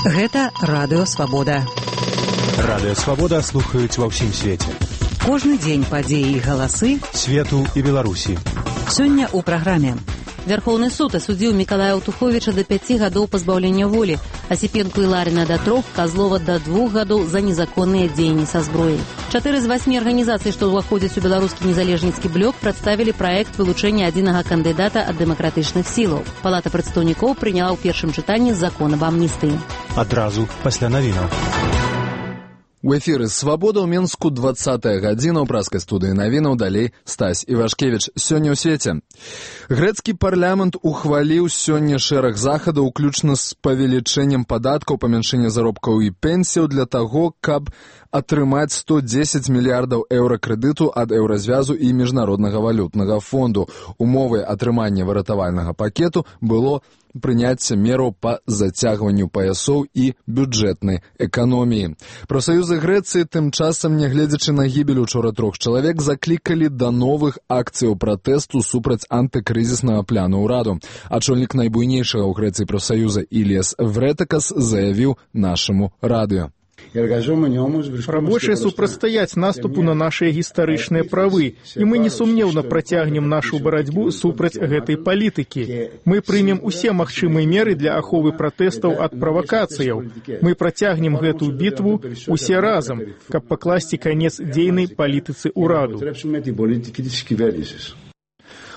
Гэта Радыё Свабода. Радыё Свабода слухаюць ва ўсім свеце. Кожны дзень падзеі і галасы свету і Беларусі. Сёння ў праграме. Вярхоўны суд асудзіў Мікалая Аўтуховіча да 5 гадоў пазбаўлення волі, Асіпенку і Ларіна да 3, Казлова да 2 гадоў за незаконныя дзеянні са зброяй. 4 з 8 арганізацый, што ўваходзяць у беларускі незалежніцкі блок, прадставілі праект вылучэння адзінага кандыдата ад дэмакратычных сілаў. Палата прадстаўнікоў прыняла ў першым чытанні закон аб амністыі. Адразу пасля навінаў. У эфіры «Свабода» ў Менску 20-я гадзіна ў праскай студыі навінаў, далей Стась Івашкевіч. Сёння ў свеце. Грэцкі парламент ухваліў сёння шэраг захадаў, уключна з павелічэннем падаткаў, памяншэння заробкаў і пенсіяў для таго, каб атрымаць 110 мільярдаў еўра крэдыту ад Еўразвязу і Міжнароднага валютнага фонду. Умовай атрымання выратавальнага пакету было прыняцце мераў па зацягванню паясоў і бюджэтнай эканоміі. Прафсаюзы Грэцыі тым часам, нягледзячы на гібель учора 3 чалавек, заклікалі да новых акцыяў пратэсту супраць антыкрызіснага пляну ўраду. Ачольнік найбуйнейшага ў Грэцыі прафсаюза Іліас Врэтакас заявіў нашаму радыё. Рабочие супрацьстаяць наступу на нашыя гістарычныя правы, і мы несумнеўна працягнем нашу барацьбу супраць гэтай палітыкі. Мы прымем усе магчымыя меры для аховы пратэстаў ад правакацыяў. Мы працягнем гэтую бітву усе разам, каб пакласці канец дзейнай палітыцы ўраду.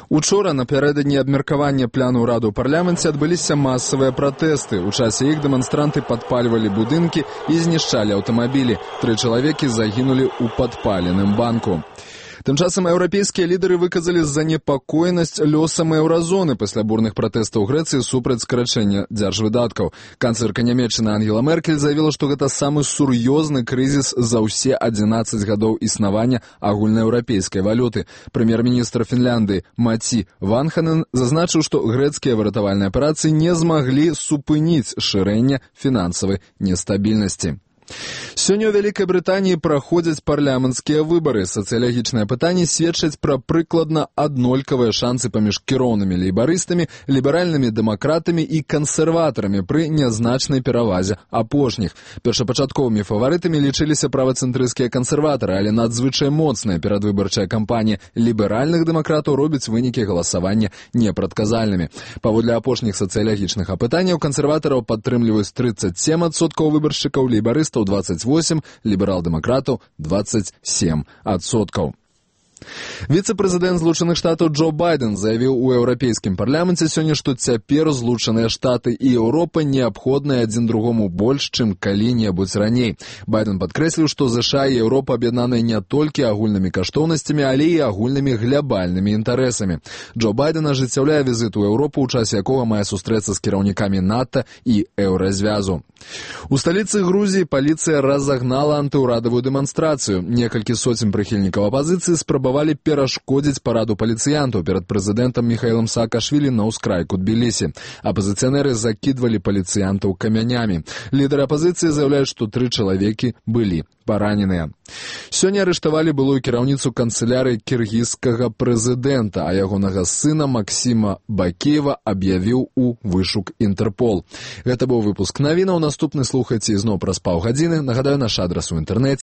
Учора, напярэдадні абмеркавання пляну ўраду ў парламенце, адбыліся масавыя пратэсты. У часе іх дэманстранты падпальвалі будынкі і знішчалі аўтамабілі. 3 чалавекі загінулі ў падпаленым банку. Тым часам еўрапейскія лідары выказалі занепакоенасць лёсам еўразоны пасля бурных пратэстаў Грэцыі супраць скарачэння дзяржвыдаткаў. Канцлерка Нямецчыны Ангела Меркель заявіла, што гэта самы сур'ёзны крызіс за ўсе 11 гадоў існавання агульнаеўрапейскай валюты. Прэм'ер-міністр Фінляндыі Маці Ванханен зазначыў, што грэцкія выратавальныя аперацыі не змаглі супыніць шырэнне фінансавай нестабільнасці. Сёння ў Вялікай Брытаніі праходзяць парламенцкія выбары. Сацыялагічныя пытанні сведчаць пра прыкладна аднолькавыя шансы паміж кіроўнымі лейбарыстамі, ліберальнымі дэмакратамі і кансерватарамі пры нязначнай перавазе апошніх. Першапачатковымі фаварытамі лічыліся правацэнтрысцкія кансерватары, але надзвычай моцная перадвыбарчая кампанія ліберальных дэмакратаў робіць вынікі галасавання непрадказальнымі. Паводле апошніх сацыялагічных апытанняў кансерватараў падтрымліваюць 37% выбаршчыкаў, лейбарыстаў 28, ліберал-дэмакратаў 27%. Віцэ-прэзідэнт Злучаных Штатаў Джо Байден заявіў у еўрапейскім парламенце сёння, што цяпер Злучаныя Штаты і Еўропа неабходныя адзін другому больш, чым калі-небудзь раней. Байден падкрэсліў, што ЗША і Еўропа аб'яднаныя не толькі агульнымі каштоўнасцямі, але і агульнымі глябальнымі інтарэсамі. Джо Байден ажыццяўляе візіт у Еўропу, у часе якога мае сустрэцца з кіраўнікамі НАТО і Еўразвязу. У сталіцы Грузіі паліцыя разагнала антыўрадавую дэманстрацыю. Некалькі соцень прыхільнікаў апазіцыі спрабавалі перашкодзіць параду паліцыянтаў перад прэзідэнтам Міхаілам Саакашвілі на ўскрайку Тбілісі. Апазіцыянеры закідвалі паліцыянтаў камянямі. Лідары апазіцыі заяўляюць, што 3 чалавекі былі параненыя. Сёння арыштавалі былую кіраўніцу канцылярыі кіргізскага прэзідэнта, а ягонага сына Максіма Бакеева аб'явіў у вышук Інтэрпол. Гэта быў выпуск навінаў. Наступны слухайце ізноў праз паўгадзіны. Нагадаю, наш адрас у інтэрнэце